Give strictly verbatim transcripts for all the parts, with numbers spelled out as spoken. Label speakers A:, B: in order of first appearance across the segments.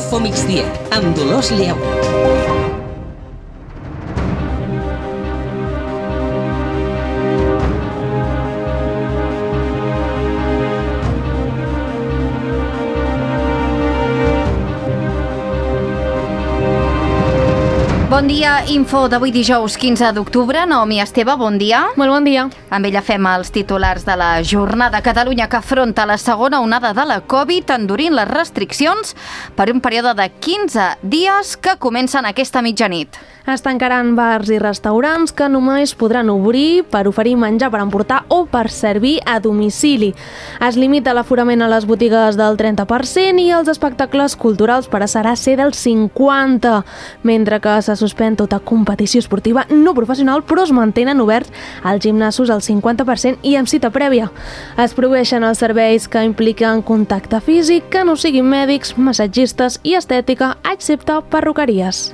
A: Info Migdia, amb Dolors Lleu.
B: Bon dia, info d'avui dijous quinze d'octubre. Naomi Esteve, bon dia.
C: Molt bon dia.
B: Amb ella fem els titulars de la jornada. Catalunya que afronta la segona onada de la Covid endurint les restriccions per un període de quinze dies que comencen aquesta mitjanit.
C: Es tancaran bars i restaurants que només podran obrir per oferir menjar per emportar o per servir a domicili. Es limita l'aforament a les botigues del trenta per cent i els espectacles culturals passarà a ser del cinquanta per cent, mentre que se suspèn tota competició esportiva no professional, però es mantenen oberts als gimnasos al cinquanta per cent i amb cita prèvia. Es prohibeixen els serveis que impliquen contacte físic, que no siguin mèdics, massatgistes i estètica, excepte perruqueries.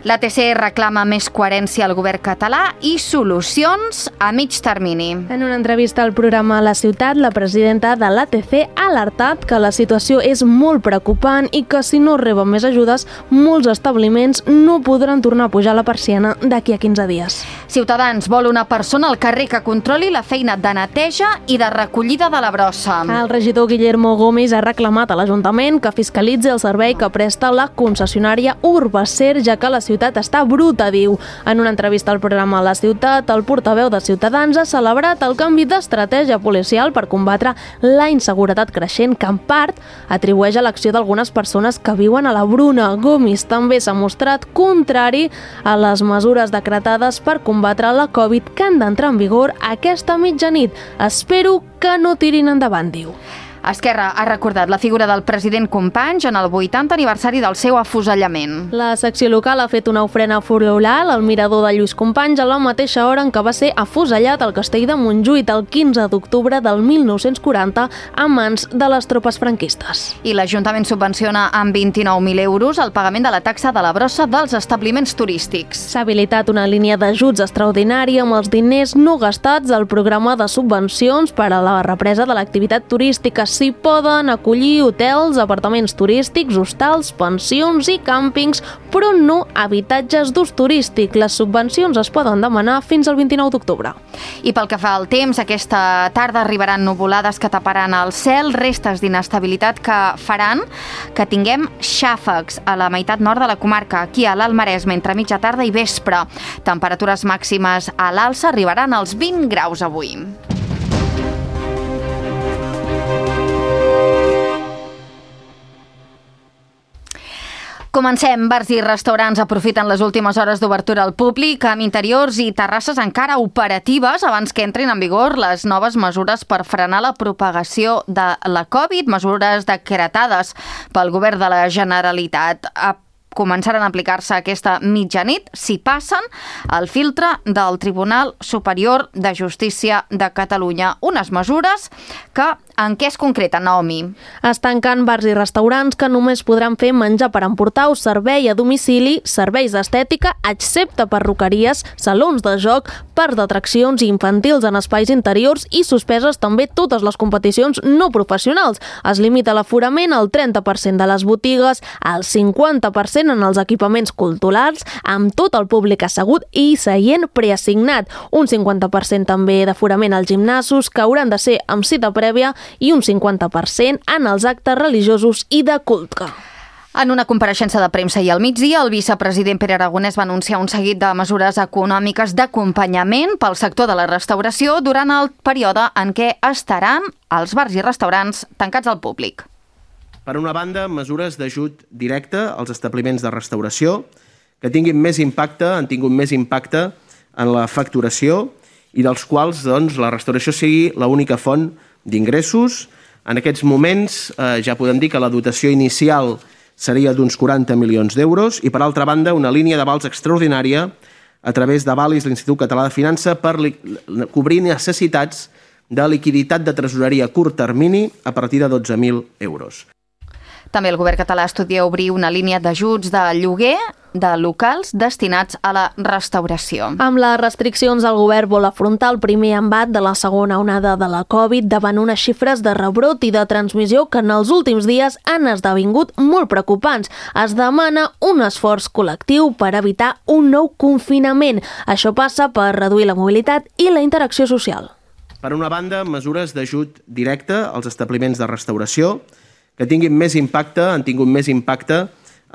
B: L'A T C reclama més coherència al govern català i solucions a mig termini.
C: En una entrevista al programa La Ciutat, la presidenta de l'A T C ha alertat que la situació és molt preocupant i que si no reben més ajudes, molts establiments no podran tornar a pujar la persiana d'aquí a quinze dies.
B: Ciutadans vol una persona al carrer que controli la feina de neteja i de recollida de la brossa.
C: El regidor Guillermo Gómez ha reclamat a l'Ajuntament que fiscalitzi el servei que presta la concessionària Urbacer, ja que la ciutat està bruta, diu. En una entrevista al programa La Ciutat, el portaveu de Ciutadans ha celebrat el canvi d'estratègia policial per combatre la inseguretat creixent, que en part atribueix a l'acció d'algunes persones que viuen a la Bruna. Gómez també s'ha mostrat contrari a les mesures decretades per combatre la Covid que han d'entrar en vigor aquesta mitjanit. Espero que no tirin endavant, diu.
B: Esquerra ha recordat la figura del president Companys en el vuitantè aniversari del seu afusellament.
C: La secció local ha fet una ofrena floral al mirador de Lluís Companys a la mateixa hora en què va ser afusellat al castell de Montjuïc el quinze d'octubre del mil nou-cents quaranta a mans de les tropes franquistes.
B: I l'Ajuntament subvenciona amb vint-i-nou mil euros el pagament de la taxa de la brossa dels establiments turístics.
C: S'ha habilitat una línia d'ajuts extraordinària amb els diners no gastats al programa de subvencions per a la represa de l'activitat turística. S'hi poden acollir hotels, apartaments turístics, hostals, pensions i càmpings, però no habitatges d'ús turístic. Les subvencions es poden demanar fins al vint-i-nou d'octubre.
B: I pel que fa al temps, aquesta tarda arribaran nuvolades que taparan el cel, restes d'inestabilitat que faran que tinguem xàfecs a la meitat nord de la comarca, aquí a l'Alt Maresme, entre mitja tarda i vespre. Temperatures màximes a l'alça arribaran als vint graus avui. Comencem. Bars i restaurants aprofiten les últimes hores d'obertura al públic amb interiors i terrasses encara operatives abans que entrin en vigor les noves mesures per frenar la propagació de la Covid, mesures decretades pel govern de la Generalitat. Començaran a aplicar-se aquesta mitjanit si passen el filtre del Tribunal Superior de Justícia de Catalunya. Unes mesures que en què es concreta, Naomi?
C: Es tanquen bars i restaurants que només podran fer menjar per emportar o servei a domicili, serveis d'estètica, excepte perruqueries, salons de joc, parcs d'atraccions infantils en espais interiors i suspeses també totes les competicions no professionals. Es limita l'aforament al trenta per cent de les botigues, al cinquanta per cent en els equipaments culturals, amb tot el públic assegut i seient preassignat. Un cinquanta per cent també d'aforament als gimnasos, que hauran de ser amb cita prèvia, i un cinquanta per cent en els actes religiosos i de culte.
B: En una compareixença de premsa i al migdia, el vicepresident Pere Aragonès va anunciar un seguit de mesures econòmiques d'acompanyament pel sector de la restauració durant el període en què estaran els bars i restaurants tancats al públic.
D: Per una banda, mesures d'ajut directe als establiments de restauració que tinguin més impacte, han tingut més impacte en la facturació i dels quals doncs, la restauració sigui l'única font d'ingressos. En aquests moments eh, ja podem dir que la dotació inicial seria d'uns quaranta milions d'euros i, per altra banda, una línia d'avals extraordinària a través d'Avalis, l'Institut Català de Finança, per cobrir necessitats de liquiditat de tresoreria a curt termini a partir de dotze mil euros.
B: També el govern català estudia obrir una línia d'ajuts de lloguer de locals destinats a la restauració.
C: Amb les restriccions, el govern vol afrontar el primer embat de la segona onada de la Covid davant unes xifres de rebrot i de transmissió que en els últims dies han esdevingut molt preocupants. Es demana un esforç col·lectiu per evitar un nou confinament. Això passa per reduir la mobilitat i la interacció social.
D: Per una banda, mesures d'ajut directe als establiments de restauració que tinguin més impacte, han tingut més impacte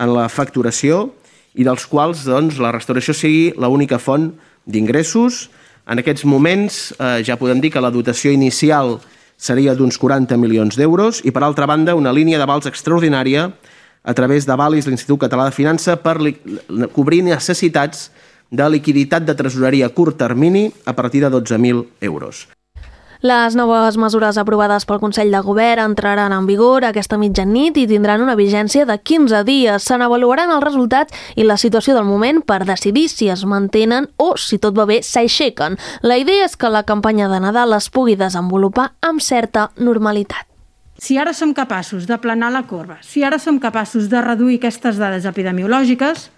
D: en la facturació i dels quals doncs, la restauració sigui l'única font d'ingressos. En aquests moments eh, ja podem dir que la dotació inicial seria d'uns quaranta milions d'euros i, per altra banda, una línia d'avals extraordinària a través d'avalis de l'Institut Català de Finança per cobrir necessitats de liquiditat de tresoreria a curt termini a partir de dotze mil euros.
C: Les noves mesures aprovades pel Consell de Govern entraran en vigor aquesta mitjanit i tindran una vigència de quinze dies. Se n'avaluaran els resultats i la situació del moment per decidir si es mantenen o, si tot va bé, s'aixequen. La idea és que la campanya de Nadal es pugui desenvolupar amb certa normalitat.
E: Si ara som capaços d'aplanar la corba, si ara som capaços de reduir aquestes dades epidemiològiques,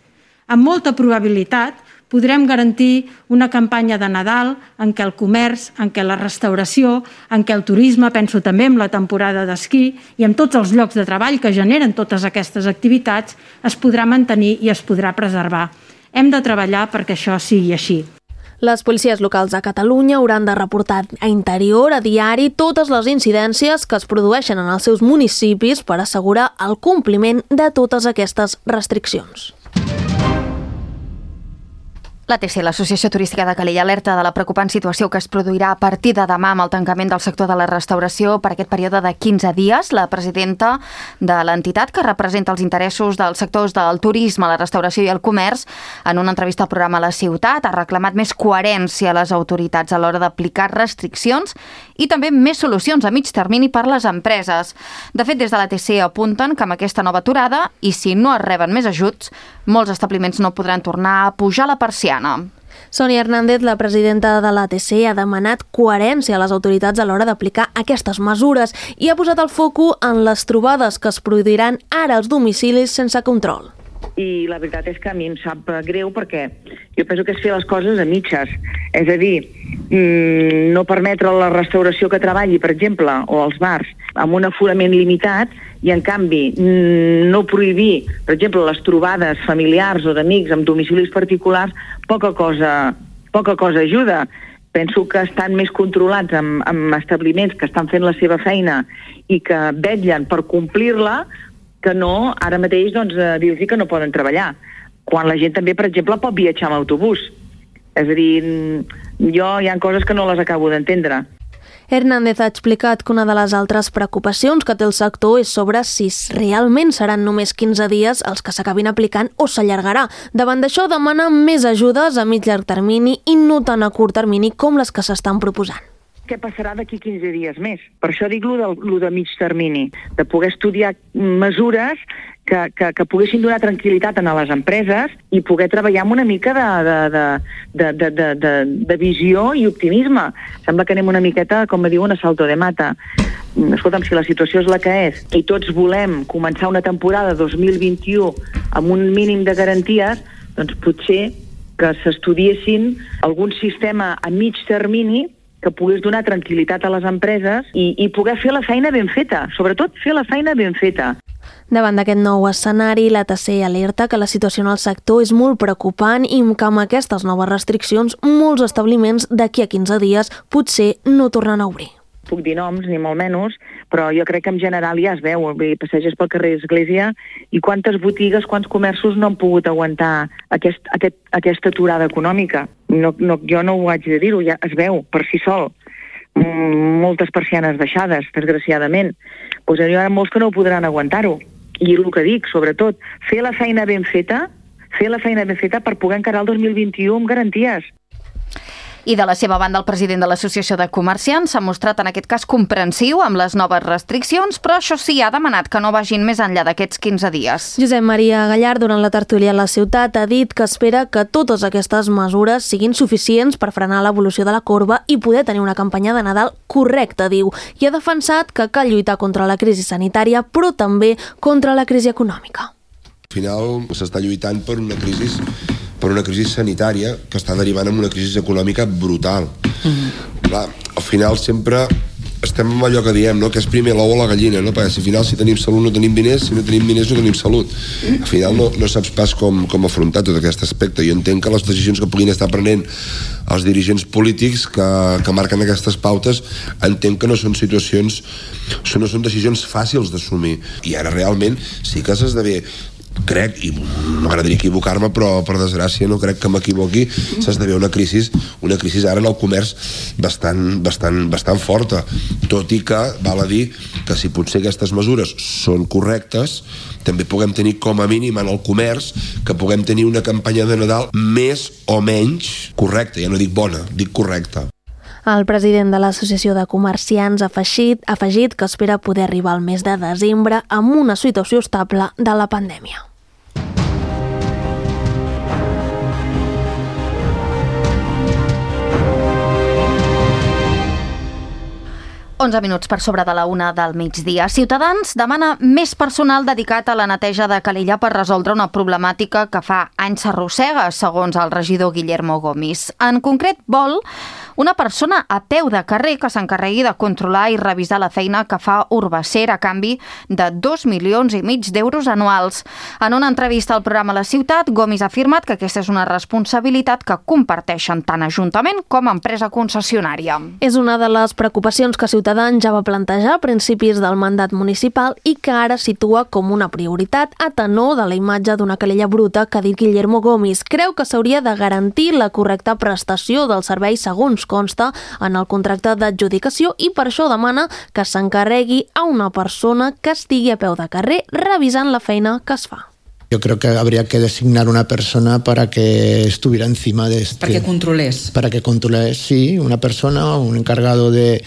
E: amb molta probabilitat podrem garantir una campanya de Nadal en què el comerç, en què la restauració, en què el turisme, penso també en la temporada d'esquí i en tots els llocs de treball que generen totes aquestes activitats, es podrà mantenir i es podrà preservar. Hem de treballar perquè això sigui així.
C: Les policies locals a Catalunya hauran de reportar a Interior a diari totes les incidències que es produeixen en els seus municipis per assegurar el compliment de totes aquestes restriccions.
B: L'A T C, l'Associació Turística de Calella, alerta de la preocupant situació que es produirà a partir de demà amb el tancament del sector de la restauració per aquest període de quinze dies. La presidenta de l'entitat, que representa els interessos dels sectors del turisme, la restauració i el comerç, en una entrevista al programa La Ciutat, ha reclamat més coherència a les autoritats a l'hora d'aplicar restriccions i també més solucions a mig termini per les empreses. De fet, des de l'A T C apunten que amb aquesta nova aturada, i si no es reben més ajuts, molts establiments no podran tornar a pujar la persiana.
C: Sònia Hernández, la presidenta de l'A T C, ha demanat coherència a les autoritats a l'hora d'aplicar aquestes mesures i ha posat el foco en les trobades que es produiran ara als domicilis sense control.
F: I la veritat és que a mi em sap greu perquè jo penso que és fer les coses a mitges. És a dir, no permetre la restauració que treballi, per exemple, o els bars, amb un aforament limitat i, en canvi, no prohibir, per exemple, les trobades familiars o d'amics amb domicilis particulars, poca cosa, poca cosa ajuda. Penso que estan més controlats amb, amb establiments que estan fent la seva feina i que vetllen per complir-la, que no, ara mateix, doncs, dir-los que no poden treballar. Quan la gent també, per exemple, pot viatjar amb autobús. És a dir, jo hi ha coses que no les acabo d'entendre.
C: Hernández ha explicat que una de les altres preocupacions que té el sector és sobre si realment seran només quinze dies els que s'acabin aplicant o s'allargarà. Davant d'això, demana més ajudes a mig llarg termini i no tan a curt termini com les que s'estan proposant.
F: Què passarà d'aquí quinze dies més? Per això dic lo de, lo de mig termini, de poder estudiar mesures que, que, que poguessin donar tranquil·litat a les empreses i poder treballar amb una mica de, de, de, de, de, de, de, de visió i optimisme. Sembla que anem una miqueta, com diuen, a salto de mata. Escolta'm, si la situació és la que és i tots volem començar una temporada dos mil vint-i-u amb un mínim de garanties, doncs potser que s'estudiessin algun sistema a mig termini que pogués donar tranquil·litat a les empreses i, i poder fer la feina ben feta, sobretot fer la feina ben feta.
C: Davant d'aquest nou escenari, l'A T C alerta que la situació en el sector és molt preocupant i que amb aquestes noves restriccions molts establiments d'aquí a quinze dies potser no tornen a obrir.
F: Puc dir noms, ni molt menys, però jo crec que en general ja es veu. Passeges pel carrer Església i quantes botigues, quants comerços no han pogut aguantar aquest, aquest, aquesta aturada econòmica. No, no, jo no ho haig de dir-ho, ja es veu per si sol. Moltes persianes baixades, desgraciadament. Doncs hi ha molts que no ho podran aguantar-ho. I el que dic, sobretot, fer la feina ben feta, fer la feina ben feta per poder encarar el dos mil vint-i-u amb garanties.
B: I de la seva banda, el president de l'Associació de Comerciants s'ha mostrat en aquest cas comprensiu amb les noves restriccions, però això sí, ha demanat que no vagin més enllà d'aquests quinze dies.
C: Josep Maria Gallard, durant la tertúlia a La Ciutat, ha dit que espera que totes aquestes mesures siguin suficients per frenar l'evolució de la corba i poder tenir una campanya de Nadal correcta, diu, i ha defensat que cal lluitar contra la crisi sanitària, però també contra la crisi econòmica.
G: Al final s'està lluitant per una crisi, per una crisi sanitària que està derivant en una crisi econòmica brutal. Mm-hmm. Clar, al final sempre estem amb allò que diem, no? Que és primer l'ou o la gallina, no? Perquè si al final si tenim salut no tenim diners, si no tenim diners no tenim salut. Al final no, no saps pas com, com afrontar tot aquest aspecte. Jo entenc que les decisions que puguin estar prenent els dirigents polítics que, que marquen aquestes pautes, entenc que no són situacions, no són decisions fàcils d'assumir. I ara realment sí que s'esdevé, crec, i m'agradaria equivocar-me, però per desgràcia no crec que m'equivoqui, s'esdevé una crisi, una crisi ara en el comerç bastant, bastant, bastant forta, tot i que val a dir que si potser aquestes mesures són correctes, també puguem tenir com a mínim en el comerç que puguem tenir una campanya de Nadal més o menys correcta, ja no dic bona, dic correcta.
C: El president de l'Associació de Comerciants ha afegit, ha afegit que espera poder arribar al mes de desembre amb una situació estable de la pandèmia.
B: onze minuts per sobre de la una del migdia. Ciutadans demana més personal dedicat a la neteja de Calella per resoldre una problemàtica que fa anys s'arrossega, segons el regidor Guillermo Gomis. En concret, vol una persona a peu de carrer que s'encarregui de controlar i revisar la feina que fa Urbacer a canvi de dos milions i mig d'euros anuals. En una entrevista al programa La Ciutat, Gomis ha afirmat que aquesta és una responsabilitat que comparteixen tant Ajuntament com empresa concessionària.
C: És una de les preocupacions que Ciutadans ja va plantejar a principis del mandat municipal i que ara situa com una prioritat a tenor de la imatge d'una Calella bruta que ha dit Guillermo Gomis. Creu que s'hauria de garantir la correcta prestació del servei segons consta en el contracte d'adjudicació i per això demana que s'encarregui a una persona que estigui a peu de carrer revisant la feina que es fa.
H: Yo creo que habría que designar una persona para que estuviera encima de este...
A: Para que controlés.
H: Para que controlés, sí, una persona, un encargado de,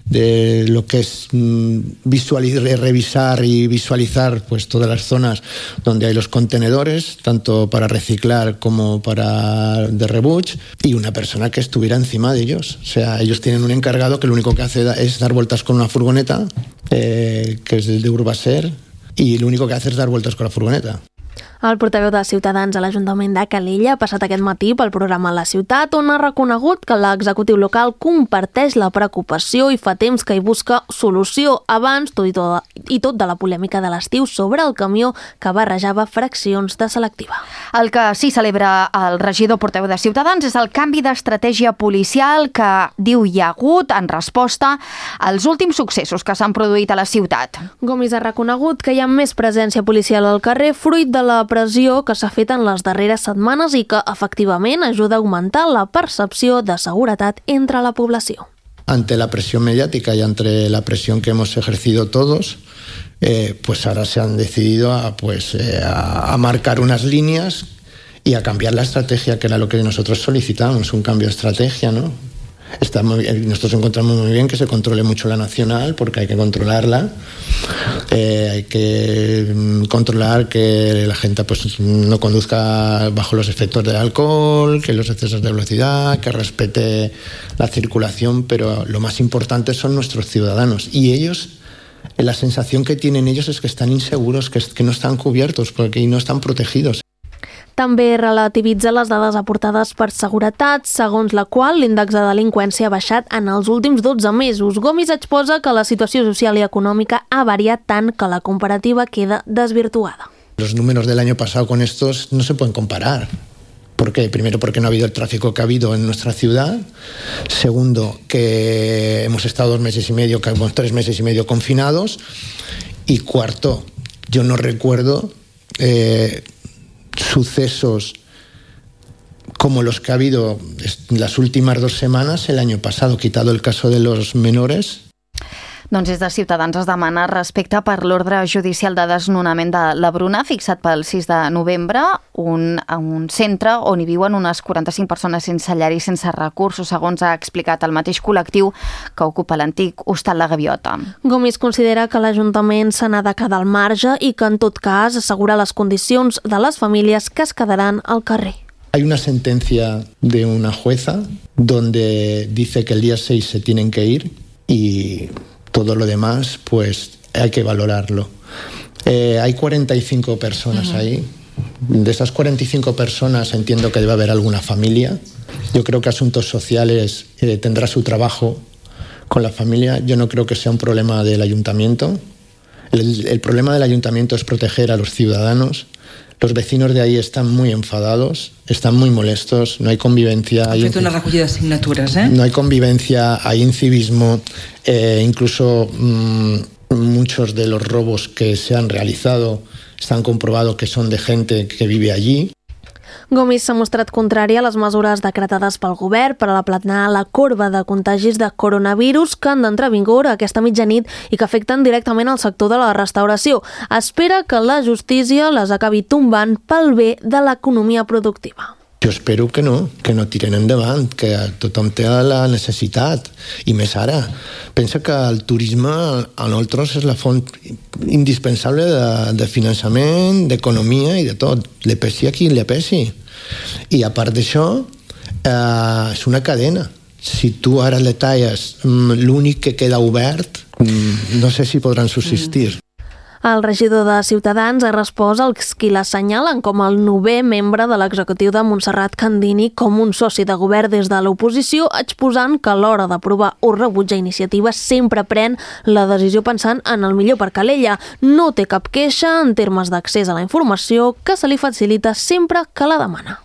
H: de lo que es visualizar, revisar y visualizar pues todas las zonas donde hay los contenedores, tanto para reciclar como para de rebuch, y una persona que estuviera encima de ellos. O sea, ellos tienen un encargado que lo único que hace es dar vueltas con una furgoneta, eh, que es el de Urbacer, y lo único que hace es dar vueltas con la furgoneta.
C: El portaveu de Ciutadans a l'Ajuntament de Calella ha passat aquest matí pel programa La Ciutat, on ha reconegut que l'executiu local comparteix la preocupació i fa temps que hi busca solució abans tot i tot, i tot de la polèmica de l'estiu sobre el camió que barrejava fraccions de selectiva.
B: El que sí celebra el regidor portaveu de Ciutadans és el canvi d'estratègia policial que diu hi ha hagut en resposta als últims successos que s'han produït a la ciutat.
C: Gomis ha reconegut que hi ha més presència policial al carrer fruit de la pressió que s'ha fet en les darreres setmanes i que, efectivament, ajuda a augmentar la percepció de seguretat entre la població.
H: Ante la presión mediática y ante la presión que hemos ejercido todos, eh, pues ahora se han decidido a, pues, eh, a, a marcar unas líneas y a cambiar la estrategia, que era lo que nosotros solicitábamos, un cambio de estrategia, ¿no? Está muy bien, nosotros encontramos muy bien que se controle mucho la nacional, porque hay que controlarla, eh, hay que controlar que la gente pues no conduzca bajo los efectos del alcohol, que los excesos de velocidad, que respete la circulación, pero lo más importante son nuestros ciudadanos, y ellos, la sensación que tienen ellos es que están inseguros, que, que no están cubiertos porque no están protegidos.
C: També relativitza les dades aportades per seguretat, segons la qual l'índex de delinqüència ha baixat en els últims dotze mesos. Gomis exposa que la situació social i econòmica ha variat tant que la comparativa queda desvirtuada.
H: Los números del año pasado con estos no se pueden comparar. ¿Por qué? Primero, porque no ha habido el tráfico que ha habido en nuestra ciudad. Segundo, que hemos estado dos meses y medio, tres meses y medio confinados. Y cuarto, yo no recuerdo Eh, sucesos como los que ha habido en las últimas dos semanas el año pasado, quitado el caso de los menores.
B: Doncs des de Ciutadans es demana respecte per l'ordre judicial de desnonament de la Bruna fixat pel sis de novembre, un, un centre on hi viuen unes quaranta-cinc persones sense llar i sense recursos, segons ha explicat el mateix col·lectiu que ocupa l'antic hostal La Gaviota.
C: Gomis considera que l'Ajuntament se n'ha de quedar al marge i que en tot cas assegura les condicions de les famílies que es quedaran al carrer.
H: Hay una sentencia de una jueza donde dice que el día seis se tienen que ir y todo lo demás, pues hay que valorarlo. Eh, hay cuarenta y cinco personas uh-huh. ahí. De esas cuarenta y cinco personas entiendo que debe haber alguna familia. Yo creo que Asuntos Sociales eh, tendrá su trabajo con la familia. Yo no creo que sea un problema del ayuntamiento. El, el problema del ayuntamiento es proteger a los ciudadanos. Los vecinos de ahí están muy enfadados, están muy molestos, no hay convivencia.
I: Ha fet una recollida de signatures, eh?
H: No hay convivencia, hay incivismo, eh, incluso mmm, muchos de los robos que se han realizado s'han comprovat que són de gent que vive allí.
C: Gomis s'ha mostrat contrari a les mesures decretades pel govern per a aplanar la corba de contagis de coronavirus que han d'entrar a vigor aquesta mitjanit i que afecten directament el sector de la restauració. Espera que la justícia les acabi tombant pel bé de l'economia productiva.
H: Jo espero que no, que no tiren endavant, que tothom té la necessitat, i més ara. Pensa que el turisme a nosaltres és la font indispensable de, de finançament, d'economia i de tot. Le pesi a qui le pesi. I a part d'això, eh, és una cadena. Si tu ara le talles l'únic que queda obert, no sé si podran subsistir.
C: El regidor de Ciutadans ha respost als qui l'assenyalen com el novè membre de l'executiu de Montserrat Candini com un soci de govern des de l'oposició, exposant que a l'hora d'aprovar o rebutjar iniciatives sempre pren la decisió pensant en el millor per Calella. No té cap queixa en termes d'accés a la informació que se li facilita sempre que la demana.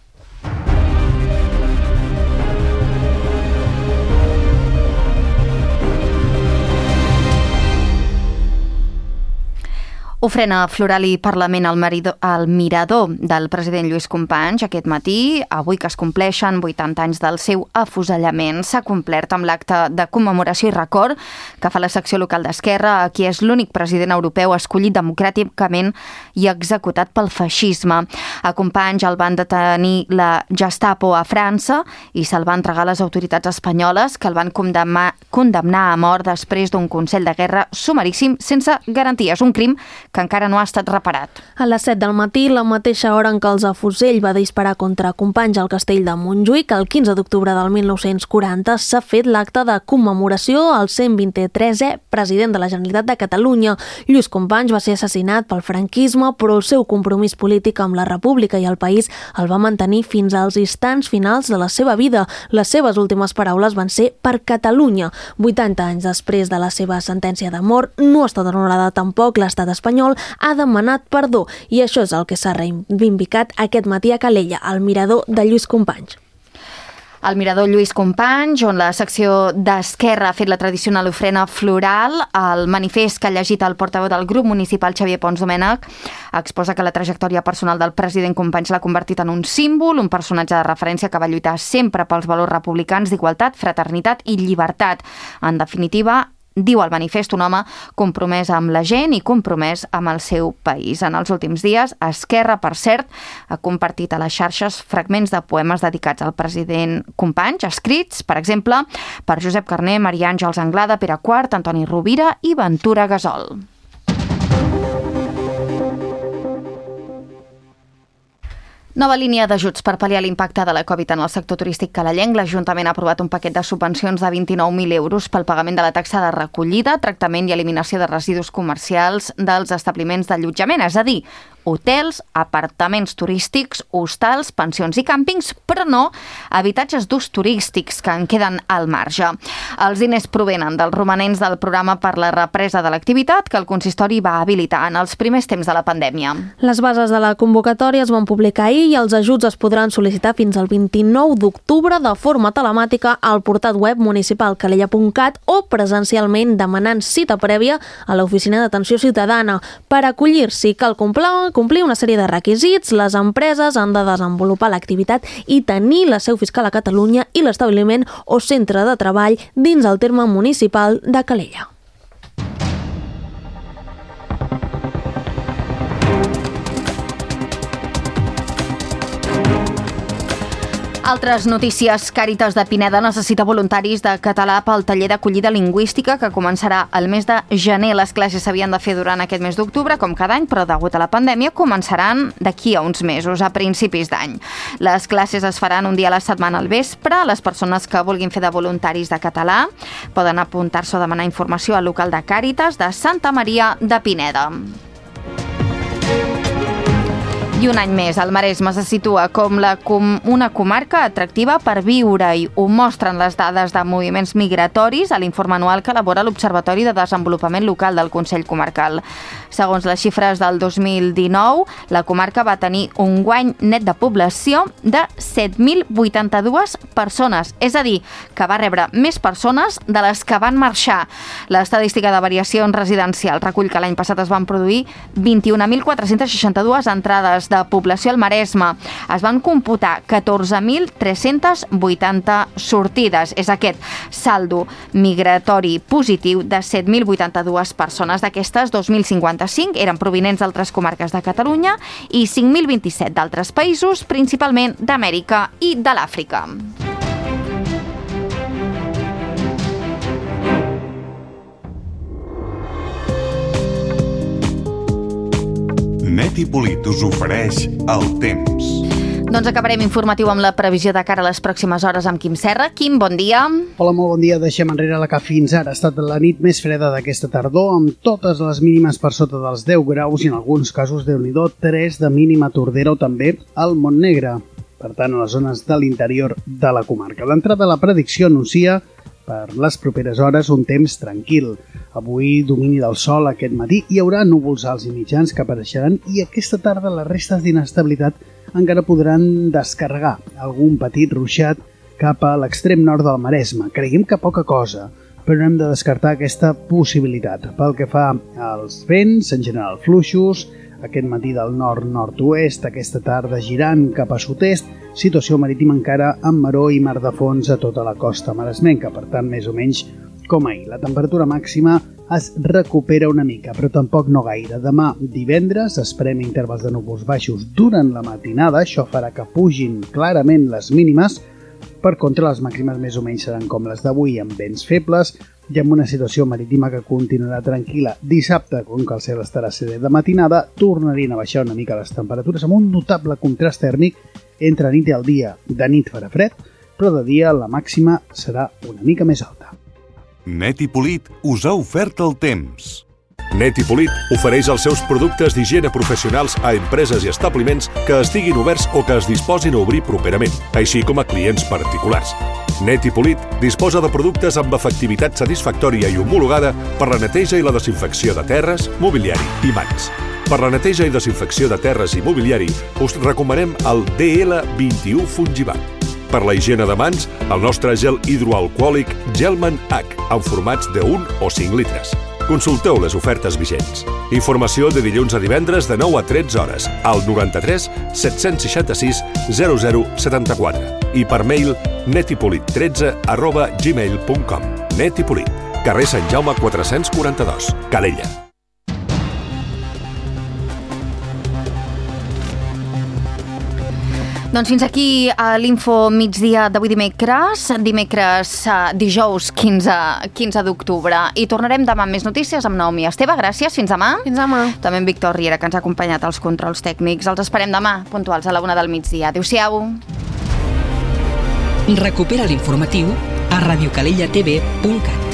B: Ofrena floral i Parlament al, marido, al mirador del president Lluís Companys aquest matí, avui que es compleixen vuitanta anys del seu afusellament. S'ha complert amb l'acte de commemoració i record que fa la secció local d'Esquerra, qui és l'únic president europeu escollit democràticament i executat pel feixisme. A Companys el van detenir la Gestapo a França i se'l van entregar a les autoritats espanyoles, que el van condemnar, condemnar a mort després d'un consell de guerra sumaríssim sense garanties. Un crim que encara no ha estat reparat.
C: A les set del matí, la mateixa hora en què els Afusell va disparar contra Companys al castell de Montjuïc, el quinze d'octubre del mil nou-cents quaranta, s'ha fet l'acte de commemoració al cent vint-i-tresè president de la Generalitat de Catalunya. Lluís Companys va ser assassinat pel franquisme, però el seu compromís polític amb la República i el país el va mantenir fins als instants finals de la seva vida. Les seves últimes paraules van ser per Catalunya. vuitanta anys després de la seva sentència de mort, no ha estat honorada tampoc l'estat espanyol ha demanat perdó i això és el que s'ha reivindicat aquest matí a Calella, al mirador de Lluís Companys.
B: El mirador Lluís Companys, on la secció d'Esquerra ha fet la tradicional ofrena floral. El manifest que ha llegit el portaveu del grup municipal, Xavier Pons Domènech, exposa que la trajectòria personal del president Companys l'ha convertit en un símbol, un personatge de referència que va lluitar sempre pels valors republicans d'igualtat, fraternitat i llibertat. En definitiva, diu el manifest, un home compromès amb la gent i compromès amb el seu país. En els últims dies, Esquerra, per cert, ha compartit a les xarxes fragments de poemes dedicats al president Companys, escrits, per exemple, per Josep Carner, Maria Àngels Anglada, Pere Quart, Antoni Rovira i Ventura Gasol. Nova línia d'ajuts per pal·liar l'impacte de la Covid en el sector turístic calellenc. L'Ajuntament ha aprovat un paquet de subvencions de vint-i-nou mil euros pel pagament de la taxa de recollida, tractament i eliminació de residus comercials dels establiments d'allotjament, és a dir, hotels, apartaments turístics, hostals, pensions i càmpings, però no habitatges d'ús turístics que en queden al marge. Els diners provenen dels romanents del programa per la represa de l'activitat que el consistori va habilitar en els primers temps de la pandèmia.
C: Les bases de la convocatòria es van publicar ahir i els ajuts es podran sol·licitar fins al vint-i-nou d'octubre de forma telemàtica al portal web municipal calella punt cat o presencialment demanant cita prèvia a l'Oficina d'Atenció Ciutadana. Per acollir-s'hi cal complir, complir una sèrie de requisits. Les empreses han de desenvolupar l'activitat i tenir la seu fiscal a Catalunya i l'establiment o centre de treball dins el terme municipal de Calella.
B: Altres notícies. Càritas de Pineda necessita voluntaris de català pel taller d'acollida lingüística que començarà el mes de gener. Les classes s'havien de fer durant aquest mes d'octubre, com cada any, però degut a la pandèmia començaran d'aquí a uns mesos, a principis d'any. Les classes es faran un dia a la setmana al vespre. Les persones que vulguin fer de voluntaris de català poden apuntar-se o demanar informació al local de Càritas de Santa Maria de Pineda. I un any més, el Maresme se situa com la, com una comarca atractiva per viure-hi. Ho mostren les dades de moviments migratoris a l'informe anual que elabora l'Observatori de Desenvolupament Local del Consell Comarcal. Segons les xifres del dos mil dinou, la comarca va tenir un guany net de població de set mil vuitanta-dues persones, és a dir, que va rebre més persones de les que van marxar. L'estadística de variacions residencials recull que l'any passat es van produir vint-i-un mil quatre-cents seixanta-dues entrades de població al Maresme. Es van computar catorze mil tres-cents vuitanta sortides. És aquest saldo migratori positiu de set mil vuitanta-dues persones. D'aquestes, dos mil cinquanta-cinc eren provinents d'altres comarques de Catalunya i cinc mil vint-i-set d'altres països, principalment d'Amèrica i de l'Àfrica.
J: Net i Polit us ofereix el temps.
B: Doncs acabarem informatiu amb la previsió de cara a les pròximes hores amb Quim Serra. Quim, bon dia.
K: Hola, molt bon dia. Deixem enrere la que fins ara ha estat la nit més freda d'aquesta tardor, amb totes les mínimes per sota dels deu graus i en alguns casos, Déu-n'hi-do, tres de mínima a Tordera o també al Montnegre. Per tant, a les zones de l'interior de la comarca. D'entrada, la predicció anuncia per les properes hores un temps tranquil. Avui, domini del sol aquest matí, hi haurà núvols alts i mitjans que apareixeran i aquesta tarda les restes d'inestabilitat encara podran descarregar algun petit ruixat cap a l'extrem nord del Maresme. Creiem que poca cosa, però no hem de descartar aquesta possibilitat. Pel que fa als vents, en general fluixos, aquest matí del nord-nord-oest, aquesta tarda girant cap a sud-est, situació marítima encara amb maró i mar de fons a tota la costa maresmenca, per tant, més o menys com ahir. La temperatura màxima es recupera una mica, però tampoc no gaire. Demà, divendres, esperem intervals de núvols baixos durant la matinada, això farà que pugin clarament les mínimes. Per contra, les màximes més o menys seran com les d'avui, amb vents febles i amb una situació marítima que continuarà tranquil·la. Dissabte, com que el cel estarà serè de matinada, tornarien a baixar una mica les temperatures amb un notable contrast tèrmic entre nit i el dia. De nit farà fred, però de dia la màxima serà una mica més alta.
J: Net i Polit us ha ofert el temps.
L: Net i Polit ofereix els seus productes d'higiene professionals a empreses i establiments que estiguin oberts o que es disposin a obrir properament, així com a clients particulars. Net i Polit disposa de productes amb efectivitat satisfactòria i homologada per la neteja i la desinfecció de terres, mobiliari i mans. Per la neteja i desinfecció de terres i mobiliari us recomanem el D L vint-i-u Fungibat. Per la higiene de mans, el nostre gel hidroalcohòlic Gelman H, en formats de un o cinc litres. Consulteu les ofertes vigents. Informació de dilluns a divendres de nou a tretze hores al noranta-tres set-cents seixanta-sis zero zero setanta-quatre i per mail netipolit tretze arroba gmail punt com. Net i Polit, carrer Sant Jaume quatre-cents quaranta-dos, Calella.
B: Doncs fins aquí a l'Info migdia d'avui dimecres, dimecres dijous quinze d'octubre. I tornarem demà amb més notícies amb Naomi Esteve. Gràcies, fins demà.
C: Fins demà.
B: També en Víctor Riera, que ens ha acompanyat als controls tècnics. Els esperem demà, puntuals a la una del migdia. Adéu-siau.
A: Recupera l'informatiu a radiocalellatv punt cat.